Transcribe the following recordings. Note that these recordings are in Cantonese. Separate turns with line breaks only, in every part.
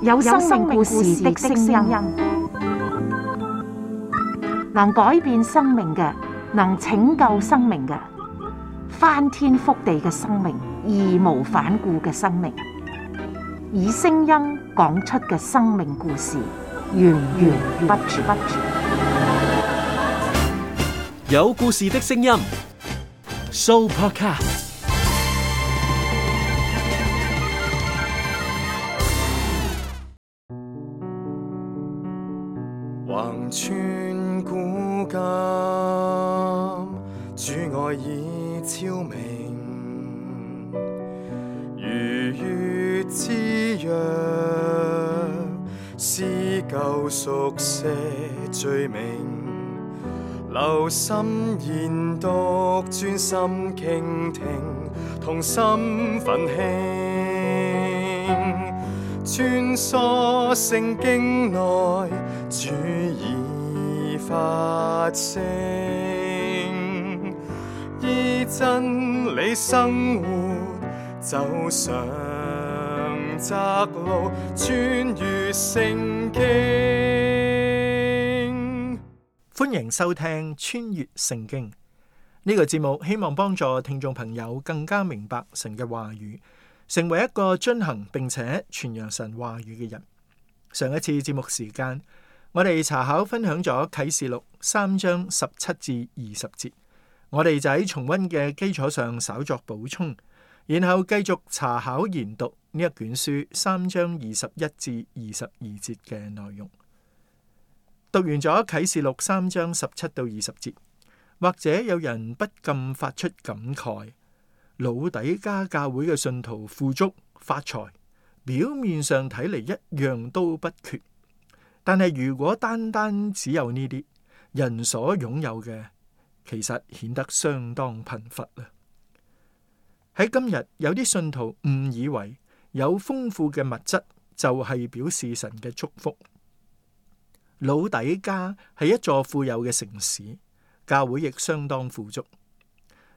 有生命故事的聲音，能改變生命嘅，能拯救生命嘅，翻天覆地嘅生命，義無反顧嘅生命，以聲音講出嘅生命故事，源源不絕。
有故事的聲音 ，Sooopodcast。
橫穿古今，主愛已超明，如月之約，撕舊熟寫罪名，留心研讀，專心傾聽，同心奮興，穿梭聖經內，主已發聲，依真理生活，走上窄路，穿越聖經。
歡迎收聽穿越聖經呢個節目，希望幫助聽眾朋友更加明白神嘅話語，成為一個遵行並且傳揚神話語嘅人。上一次節目時間，我哋查考分享咗啟示錄3章17至20節，我哋就喺重溫嘅基礎上稍作補充，然後繼續查考研讀呢一卷書3章21至22節嘅內容。讀完咗啟示錄3章17到20節，或者有人不禁發出感慨：老底嘉教會嘅信徒富足發財，表面上睇嚟一樣都不缺，但係如果單單只有呢啲人所擁有嘅，其實顯得相當貧乏啦。喺今日，有啲信徒誤以為有豐富嘅物質就係表示神嘅祝福。老底嘉係一座富有嘅城市，教會亦相當富足，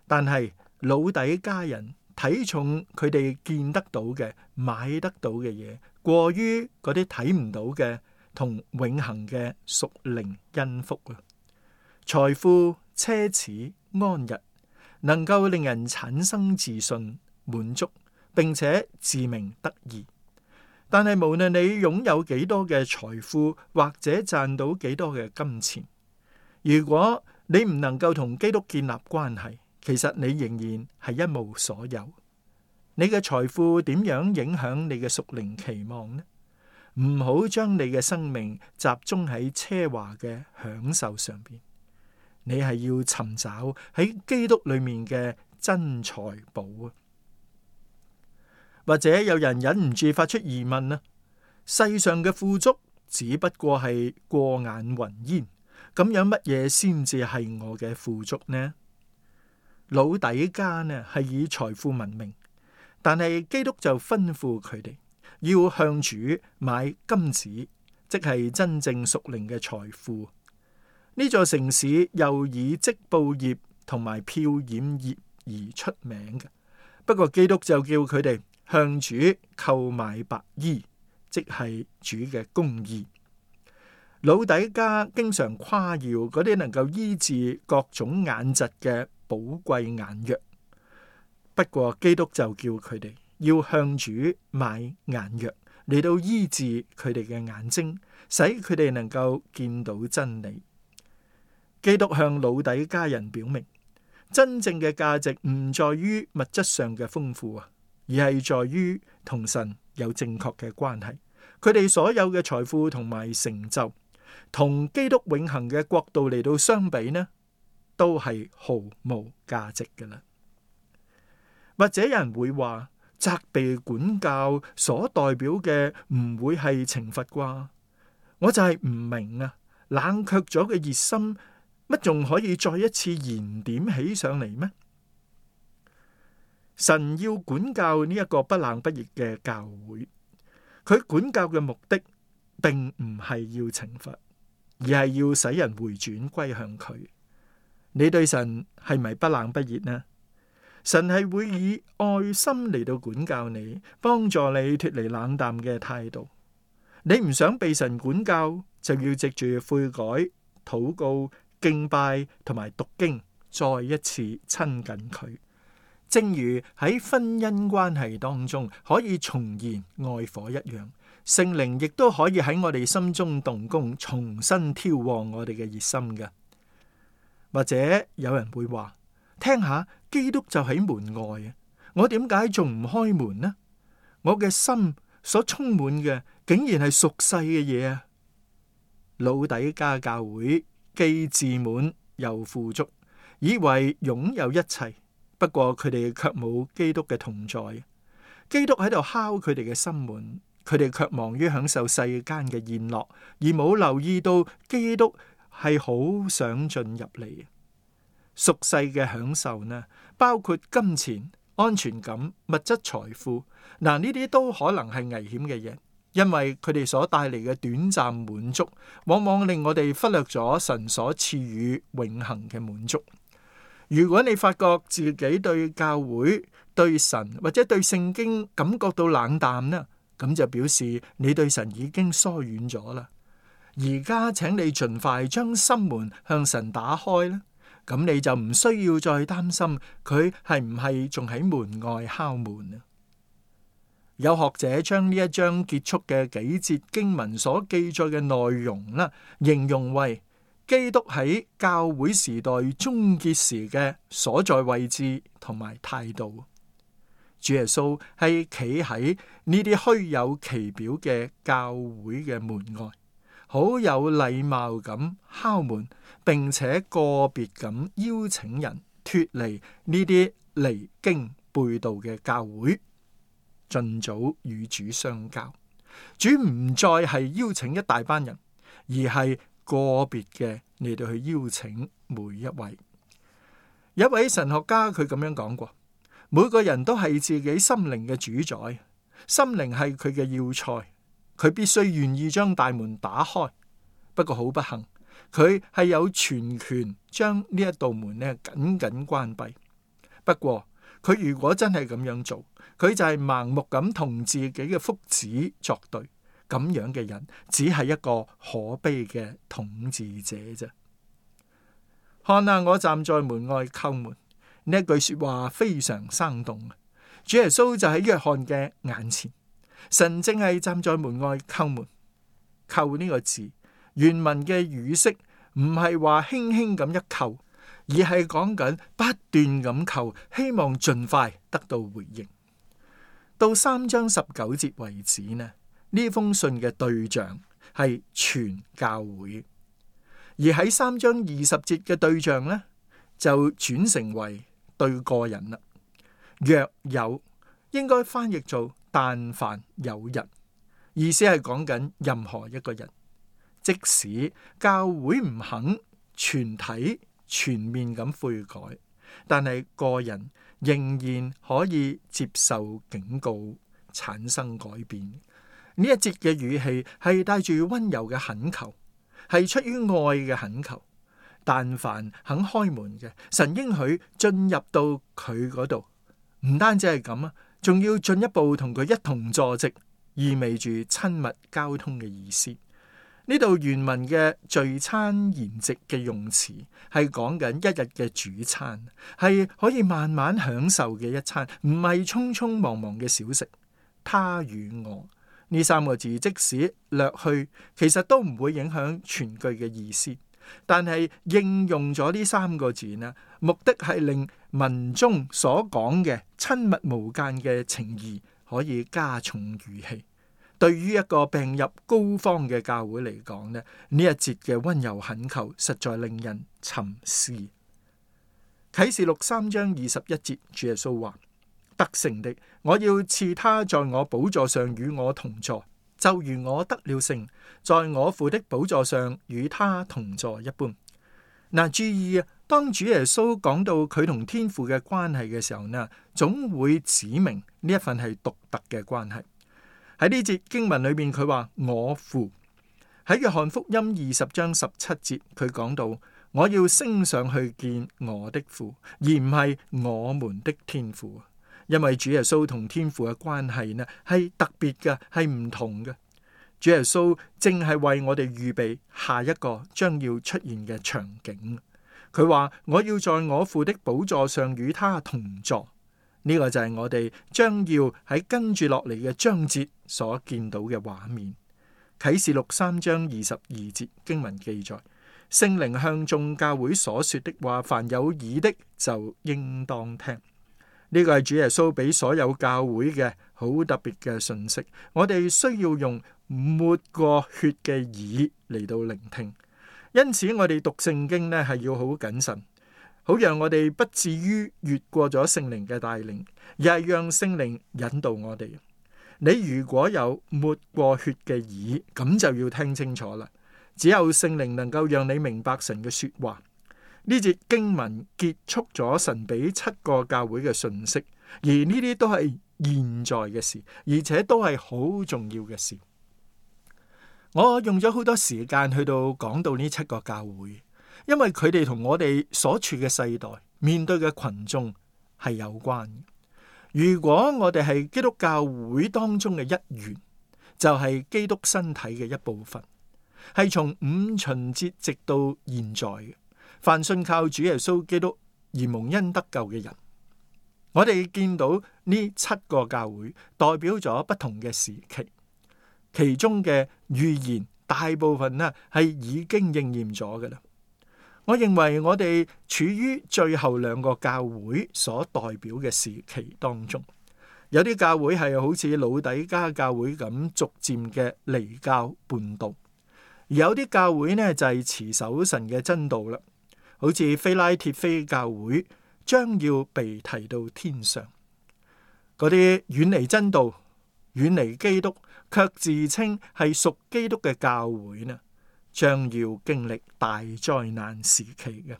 但係老底嘉人睇重佢哋見得到嘅、買得到嘅嘢，過於嗰啲睇唔到嘅同永恆嘅屬靈恩福啊！財富、奢侈、安逸，能夠令人產生自信、滿足，並且自鳴得意。但係無論你擁有幾多嘅財富，或者賺到幾多嘅金錢，如果你唔能夠同基督建立關係，其實你仍然係一無所有。你嘅財富點樣影響你嘅屬靈期望呢？唔好將你嘅生命集中喺奢華嘅享受上邊，你係要尋找喺基督裏面嘅真財寶啊！或者有人忍唔住發出疑問啊，世上嘅富足只不過係過眼雲煙，咁樣乜嘢先至係我嘅富足呢？老底嘉呢係以財富聞名，但係基督就吩咐佢哋要向主買金子，即係真正屬靈嘅財富。呢座城市又以織布業同埋漂染業而出名嘅，不過基督就叫佢哋向主購買白衣，即係主嘅公義。老底嘉經常誇耀嗰啲能夠醫治各種眼疾嘅寶貴眼藥，不過基督就叫佢哋要向主買眼藥嚟到醫治佢哋嘅眼睛，使佢哋能夠見到真理。基督向老底嘉人表明，真正嘅價值唔在於物質上嘅豐富啊，而係在於同神有正確嘅關係。佢哋所有嘅財富同埋成就，同基督永恆嘅國度嚟到相比呢，都係毫無價值㗎喇。或者有人會話，責備管教所代表嘅唔會係懲罰啩？我就係唔明啊，冷卻咗嘅熱心，乜仲可以再一次燃點起上嚟咩？神要管教呢一個不冷不熱嘅教會，佢管教嘅目的並唔係要懲罰，而係要使人回轉歸向佢。你對神係咪不冷不熱呢？神係會以愛心嚟到管教你，幫助你脫離冷淡嘅態度。你唔想被神管教，就要藉住悔改、禱告、敬拜同埋讀經，再一次親近佢。正如喺婚姻關係當中可以重燃愛火一樣，聖靈亦都可以喺我哋心中動工，重新挑旺我哋嘅熱心嘅。或者有人會話，聽下，基督就喺門外啊，我點解仲唔開門呢？我嘅心所充滿嘅竟然係屬世嘅嘢啊！老底嘉教會既自滿又富足，以為擁有一切，不過佢哋卻冇基督嘅同在。基督喺度敲佢哋嘅心門，佢哋卻忙於享受世間嘅宴樂，而冇留意到基督係好想進入嚟。屬世嘅享受呢，包括金錢、安全感、物質財富，呢啲都可能係危險嘅嘢，因為佢哋所帶嚟嘅短暫滿足，往往令我哋忽略咗神所賜予永恆嘅滿足。如果你發覺自己對教會、對神或者對聖經感覺到冷淡呢，咁就表示你對神已經疏遠咗啦。而家請你盡快將心門向神打開啦。咁你就唔需要再擔心佢係唔係仲喺門外敲門啊。有學者將呢一章結束嘅幾節經文所記載嘅內容啦，形容為基督喺教會時代終結時嘅所在位置同埋態度。主耶穌係企喺呢啲虛有其表嘅教會嘅門外，好有禮貌咁敲門，並且個別咁邀請人脫離呢啲離經背道嘅教會，盡早與主相交。主唔再係邀請一大班人，而係個別嘅嚟到去邀請每一位。有一位神學家佢咁樣講過，每個人都係自己心靈嘅主宰，心靈係佢嘅要塞，佢必須願意將大門打開。不過好不幸，佢係有全權將呢一道門咧緊緊關閉。不過佢如果真係咁樣做，佢就係盲目咁同自己嘅福祉作對。咁樣嘅人只係一個可悲嘅統治者啫。看啊，我站在門外叩門，呢一句說話非常生動。主耶穌就喺約翰嘅眼前，神正係站在門外叩門。叩呢個字，原文嘅語式唔係話輕輕咁一叩，而係講緊不斷咁叩，希望盡快得到回應。到3章19節為止呢，呢封信嘅對象係全教會，而喺3章20節嘅對象呢，就轉成為對個人啦。若有，應該翻譯做但凡有人，意思係講緊任何一個人。即使教會唔肯全體全面咁悔改，但係個人仍然可以接受警告，產生改變。呢一節嘅語氣係帶住溫柔嘅懇求，係出於愛嘅懇求。但凡肯開門嘅，神應許進入到佢嗰度，唔單止係咁啊，仲要進一步同佢一同坐席，意味住親密交通嘅意思。呢度原文嘅聚餐筵席嘅用詞係講緊一日嘅主餐，係可以慢慢享受嘅一餐，唔係匆匆忙忙嘅小食。他與我呢3個字即使略去，其實都唔會影響全句嘅意思。但係應用咗呢3個字呢，目的係令文中所講嘅親密無間嘅情誼可以加重語氣。對於一個病入膏肓嘅教會嚟講呢，呢一節嘅溫柔懇求實在令人沉思。啟示錄3章21節，主耶穌話：得勝的，我要賜他在我寶座上與我同坐，就如我得了勝，在我父的寶座上與他同坐一般。嗱，注意啊，當主耶穌講到佢同天父嘅關係嘅時候呢，總會指明呢一份係獨特嘅關係。喺呢節經文裏面，佢話我父。喺約翰福音20章17節，佢講到我要升上去見我的父，而唔係我們的天父。因為主耶穌同天父嘅關係呢係特別嘅，係唔同嘅。主耶穌正係為我哋預備下一個將要出現嘅場景。佢話我要在我父的寶座上與他同坐。呢個就係我哋將要喺跟住落嚟嘅章節所見到嘅畫面。啟示錄3章22節經文記載，聖靈向眾教會所說的話，凡有耳的就應當聽。呢個係主耶穌俾所有教會嘅好特別嘅信息。我哋需要用抹過血嘅耳嚟到聆聽。因此我哋讀聖經呢係要好謹慎，好讓我哋不至於越過咗聖靈嘅帶領，而係讓聖靈引導我哋。你如果有抹過血嘅耳，咁就要聽清楚啦。只有聖靈能夠讓你明白神嘅說話。呢節經文結束咗神俾7個教會嘅信息，而呢啲都係現在嘅事，而且都係好重要嘅事。我用咗好多時間去到講到呢7個教會，因為佢哋同我哋所處嘅世代面對嘅群眾係有關。如果我哋係基督教會當中嘅一員，就係基督身體嘅一部分，係從五旬節直到現在嘅。凡信靠主耶穌基督而蒙恩得救嘅人，我哋見到呢7個教會代表咗不同嘅時期，其中嘅預言大部分呢係已經應驗咗嘅啦。我認為我哋處於最後2個教會所代表嘅時期當中，有啲教會係好似老底嘉教會咁逐漸嘅離教叛道，而有啲教會呢就係持守神嘅真道啦。好似非拉鐵非教會將要被提到天上，嗰啲遠離真道、遠離基督，卻自稱係屬基督嘅教會呢，將要經歷大災難時期嘅。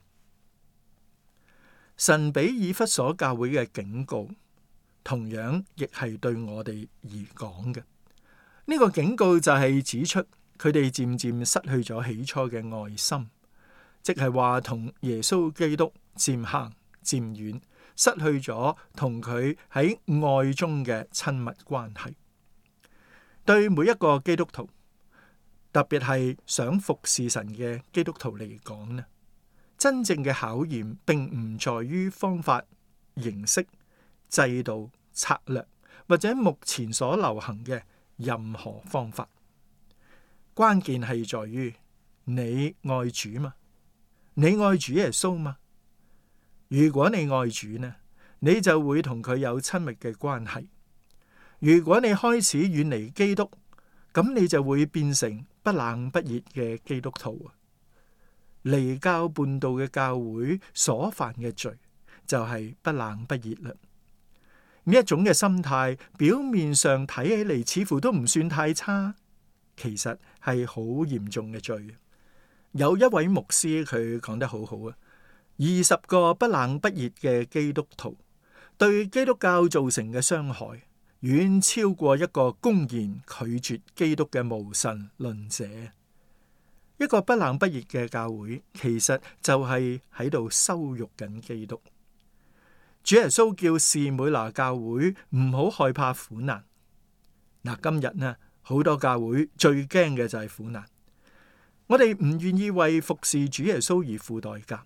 神俾以弗所教會嘅警告，同樣亦係對我哋而講嘅。呢個警告就係指出佢哋漸漸失去咗起初嘅愛心。即係話同耶穌基督漸行漸遠，失去咗同佢喺愛中嘅親密關係。對每一個基督徒，特別係想服侍神嘅基督徒嚟講呢，真正嘅考驗並唔在於方法、形式、制度、策略或者目前所流行嘅任何方法，關鍵係在於你愛主嘛。你愛主耶穌嗎？如果你愛主呢，你就會同佢有親密嘅關係。如果你開始遠離基督，咁你就會變成不冷不熱嘅基督徒。離教叛道嘅教會所犯嘅罪就係不冷不熱啦。呢一種嘅心態，表面上睇起嚟似乎都唔算太差，其實係好嚴重嘅罪。有一位牧師佢講得好好啊，20個不冷不熱嘅基督徒對基督教造成嘅傷害，遠超過一個公然拒絕基督嘅無神論者。一個不冷不熱嘅教會，其實就係喺度羞辱緊基督。主耶穌叫士每拿教會唔好害怕苦難。嗱，今日呢，好多教會最驚嘅就係苦難。我哋唔願意為服侍主耶穌而付代價，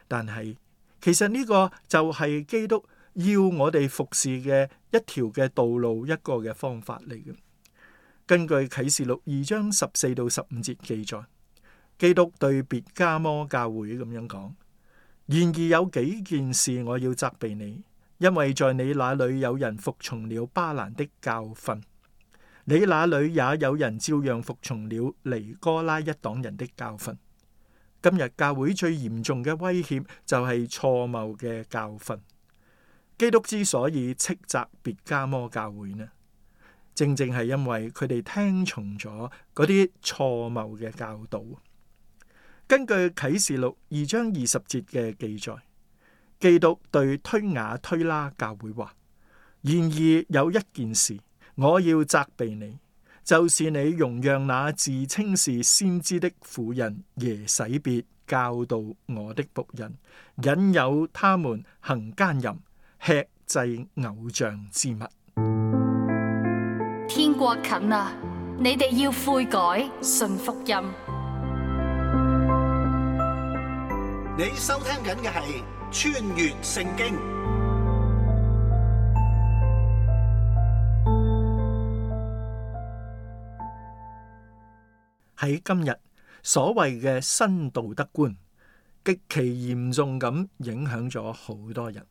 但係其實呢個就係基督要我哋服侍嘅一條嘅道路，一個嘅方法嚟嘅。根據啟示錄2章14到15節記載，基督對別迦摩教會咁樣講：然而有幾件事我要責備你，因為在你那裏有人服從了巴蘭的教訓。你那裏也有人照樣服從了尼哥拉一黨人的教訓。今日教會最嚴重嘅威脅就係錯謬嘅教訓。基督之所以斥責別迦摩教會呢，正正係因為佢哋聽從咗嗰啲錯謬嘅教導。根據啟示錄2章20節嘅記載，基督對推雅推拉教會話：然而有一件事我要責備你，就是你容讓那自稱是先知的婦人耶洗別教導我的僕人，引誘他們行奸淫，吃祭偶像之物。
天國近啦，你哋要悔改，信福音。
你收聽緊嘅係穿越聖經。
喺今日，所謂嘅新道德觀極其嚴重咁影響咗好多人。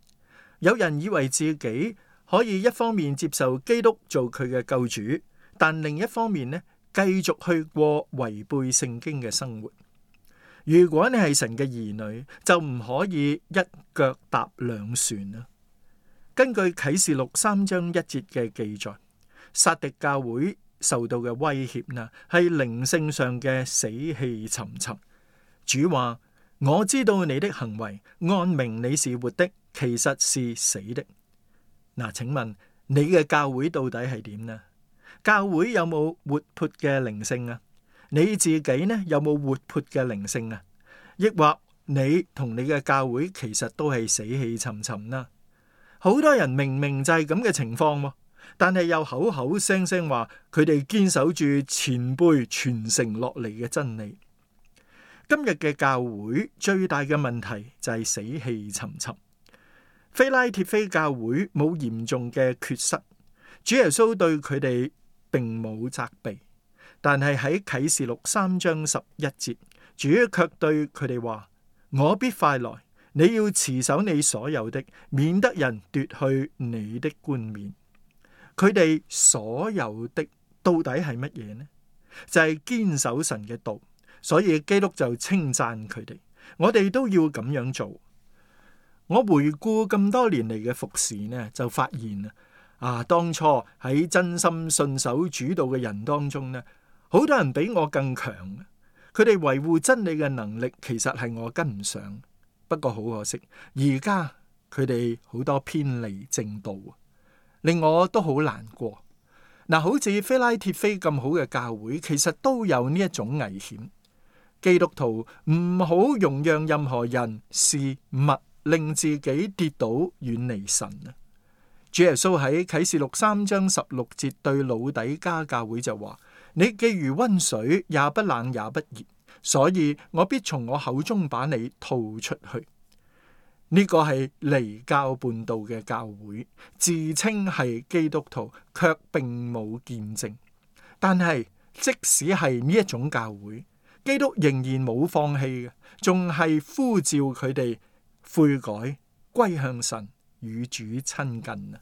有人以為自己可以一方面接受基督做佢嘅救主，但另一方面呢，繼續去過違背聖經嘅生活。如果你係神嘅兒女，就唔可以一腳踏兩船啊！根據啟示錄3章1節嘅記載，撒狄教會受到嘅威脅呢，係靈性上嘅死氣沉沉。主話：我知道你的行為，按名你是活的，其實是死的。嗱，請問你嘅教會到底係點呢？教會有冇活潑嘅靈性啊？你自己呢，有冇活潑嘅靈性啊？抑或你同你嘅教會其實都係死氣沉沉啦？好多人明明就係咁嘅情況，但係又口口聲聲話佢哋堅守住前輩傳承落嚟嘅真理。今日嘅教會最大嘅問題就係死氣沉沉。非拉鐵非教會冇嚴重嘅缺失，主耶穌對佢哋並冇責備，但係喺啟示錄3章11節，主卻對佢哋話：我必快來，你要持守你所有的，免得人奪去你的冠冕。佢哋所有的到底係乜嘢呢？就係堅守神嘅道，所以基督就稱讚佢哋。我哋都要咁樣做。我回顧咁多年嚟嘅服侍呢，就發現當初喺真心信守主道嘅人當中呢，好多人比我更強。佢哋維護真理嘅能力其實係我跟唔上。不過好可惜，而家佢哋好多偏離正道，令我都好難過。好似非拉鐵非咁好嘅教會，其實都有呢一種危險。基督徒唔好容讓任何人事物令自己跌倒遠離神啊！主耶穌喺啟示錄3章16節對老底嘉教會就話：你既如溫水，也不冷也不熱，所以我必從我口中把你吐出去。呢個係離教叛道嘅教會，自稱係基督徒，卻並冇見證。但係即使係呢一種教會，基督仍然冇放棄嘅，仲係呼召佢哋悔改，歸向神，與主親近啊！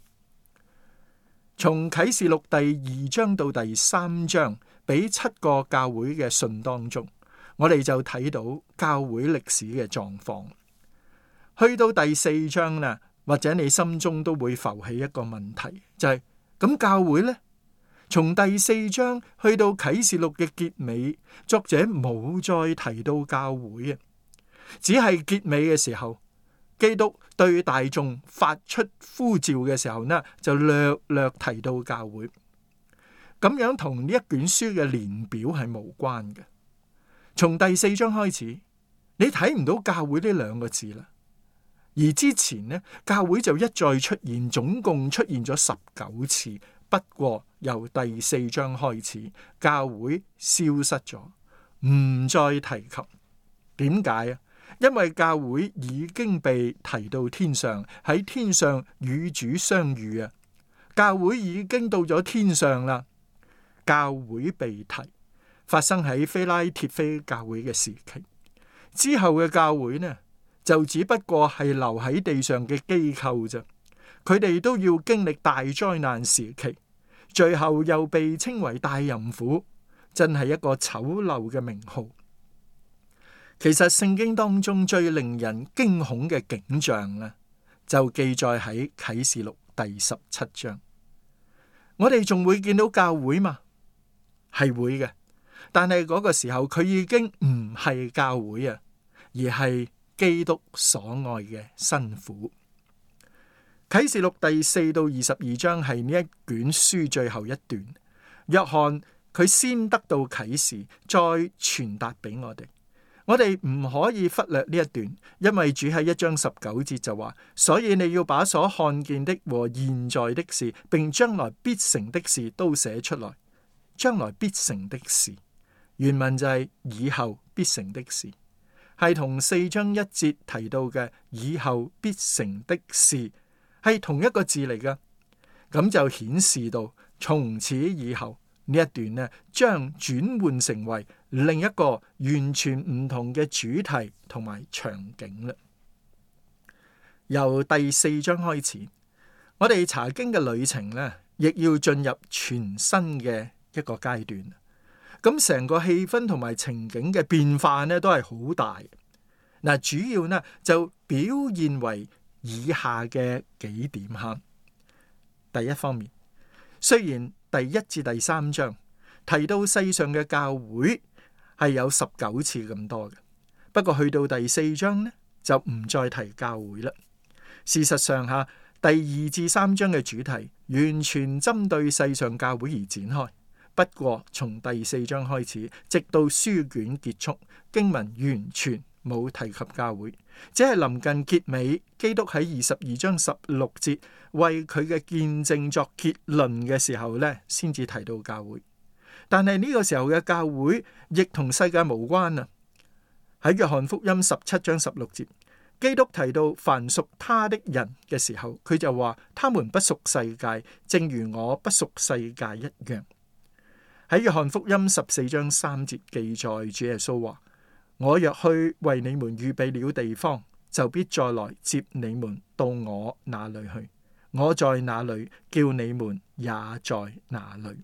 從啟示錄第2章到第3章，俾7個教會嘅信當中，我哋就睇到教會歷史嘅狀況。去到第4章啦，或者你心中都會浮起一個問題，就係咁教會呢？從第4章去到啟示錄嘅結尾，作者冇再提到教會啊，只係結尾嘅時候，基督對大眾發出呼召嘅時候呢，就略略提到教會。咁樣同呢一卷書嘅年表係無關嘅。從第4章開始，你睇唔到教會呢2個字啦。而之前呢，教會就一再出現，總共出現咗19次。不過由第4章開始，教會消失咗，唔再提及。點解啊？因為教會已經被提到天上，喺天上與主相遇啊！教會已經到咗天上啦。教會被提，發生喺非拉鐵非教會嘅時期。之後嘅教會呢，就只不過係留喺地上嘅機構啫。佢哋都要經歷大災難時期，最後又被稱為大淫婦，真係一個醜陋嘅名號。其實聖經當中最令人驚恐嘅景象呢，就記載喺啟示錄第17章。我哋仲會見到教會嘛？係會嘅，但係嗰個時候佢已經唔係教會啊，而係基督所愛嘅新婦。啟示錄第4到22章係呢一卷書最後一段。約翰佢先得到啟示，再傳達俾我哋。我哋唔可以忽略呢一段，因為主喺1章19節就話，所以你要把所看見的和現在的事，並將來必成的事都寫出來。將來必成的事，原文就係以後必成的事，係同4章1節提到嘅以後必成的事係同一個字嚟㗎。咁就顯示到從此以後呢一段呢，將轉換成為另一個完全唔同嘅主題同埋場景啦。由第4章開始，我哋查經嘅旅程呢，亦要進入全新嘅一個階段。咁成個氣氛同埋情景嘅變化呢，都係好大。嗱，主要呢就表現為以下嘅幾點吓。第一方面，雖然第1至第3章提到世上嘅教會係有19次咁多嘅，不過去到第4章呢，就唔再提教會啦。事實上吓，第2至3章嘅主題完全針對世上教會而展開。不過從第4章開始，直到書卷結束，經文完全冇提及教會，只係臨近結尾，基督喺22章16節為佢嘅見證作結論嘅時候呢，先至提到教會。但係呢個時候嘅教會亦同世界無關啊！喺約翰福音17章16節，基督提到凡屬他的人嘅時候，佢就話他們不屬世界，正如我不屬世界一樣。喺約翰福音14章3節記載，主耶穌話：我若去為你們預備了地方，就必再來接你們到我那裏去。我在哪裏，叫你們也在哪裏。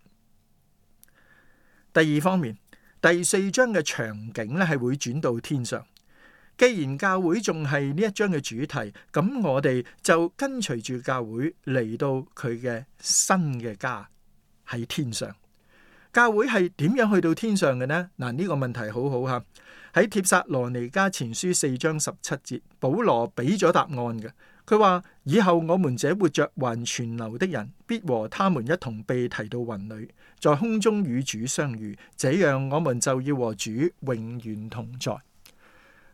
第二方面，第4章嘅場景咧係會轉到天上。既然教會仲係呢一章嘅主題，咁我哋就跟隨住教會嚟到佢嘅新嘅家喺天上。教會係點樣去到天上嘅呢？嗱，呢個問題好好吓。喺帖撒羅尼迦前書4章17節，保羅俾咗答案嘅。佢話：以後我們這活着還存留的人，必和他們一同被提到雲裏，在空中與主相遇，這樣我們就要和主永遠同在。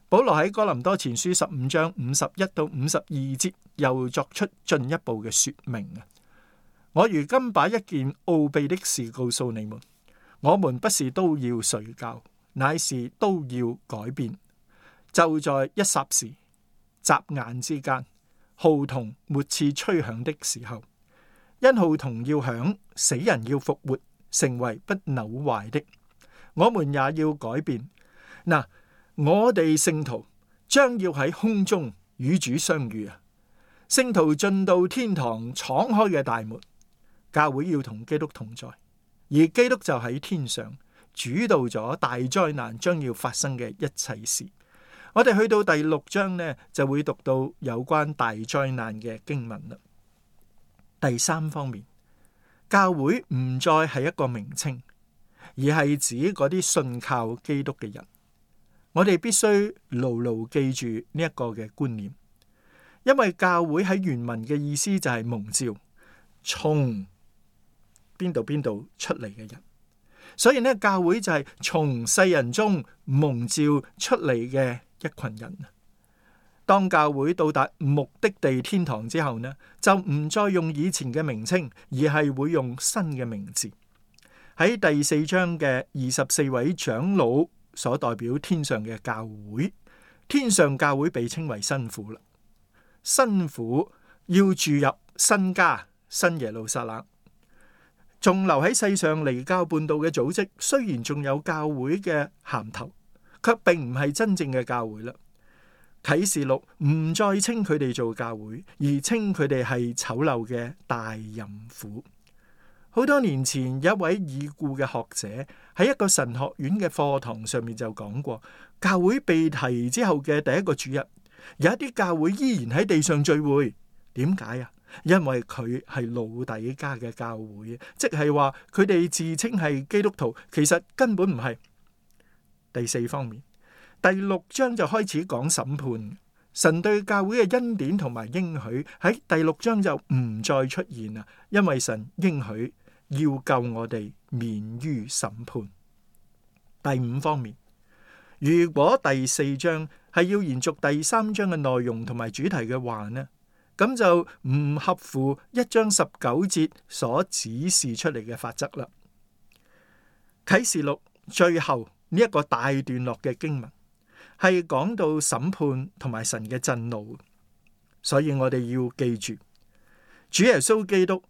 保羅喺哥林多前書15章51到52節又作出進一步嘅說明啊！我如今把一件奧秘的事告訴你們，我們不是都要睡覺，乃是都要改變。就在一霎時、眨眼之間，號筒末次吹響的時候，因號筒要響，死人要復活，成為不朽壞的，我們也要改變。嗱，我哋聖徒將要喺空中與主相遇啊！聖徒進到天堂敞開嘅大門。教會要同基督同在，而基督就喺天上主導咗大災難將要發生嘅一切事。我哋去到第6章呢，就會讀到有關大災難嘅經文啦。第3方面，教會唔再係一個名稱，而係指嗰啲信靠基督嘅人。我哋必須牢牢記住呢一個嘅觀念，因為教會喺原文嘅意思就係蒙召，從邊度出嚟嘅人，所以呢，教會就係從世人中蒙召出嚟嘅一群人。當教會到達目的地天堂之後呢，就唔再用以前嘅名稱，而係會用新嘅名字。喺第4章嘅24位長老所代表天上嘅教會，天上教會被稱為新婦啦。新婦要住入新家新耶路撒冷。仲留喺世上離教叛道嘅組織，雖然仲有教會嘅銜頭，卻並唔係真正嘅教會啦。啟示錄唔再稱佢哋做教會，而稱佢哋係醜陋嘅大淫婦。好多年前，有一位已故嘅學者喺一個神學院嘅課堂上面就講過，教會被提之後嘅第一個主日，有一啲教會依然喺地上聚會。點解啊？因為佢係老底嘉嘅教會，即係話佢哋自稱係基督徒，其實根本唔係。第4方面，第6章就開始講審判，神對教會嘅恩典同埋應許喺第6章就唔再出現啦，因為神應許要救我哋免於審判。第5方面，如果第4章係要延續第3章嘅內容同埋主題嘅話呢，咁就唔合乎1章19節所指示出嚟嘅法則啦。啟示錄最後呢一個大段落嘅經文係講到審判同埋神嘅震怒，所以我哋要記住，主耶穌基督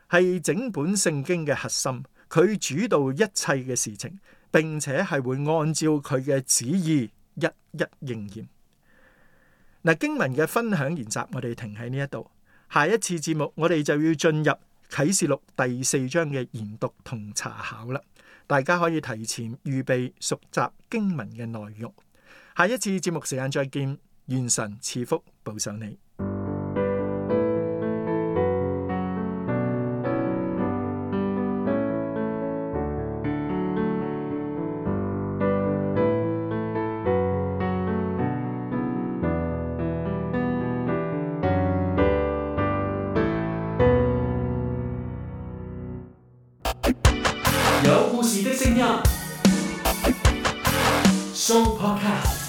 係整本聖經嘅核心，佢主導一切嘅事情，並且係會按照佢嘅旨意一一應驗。嗱，經文嘅分享研習，我哋停喺呢一度。下一次節目，我哋就要進入啟示錄第4章嘅研讀同查考啦。大家可以提前預備熟習經文嘅內容。下一次節目時間再見，願神賜福保守你。
有故事的聲音，Show Podcast。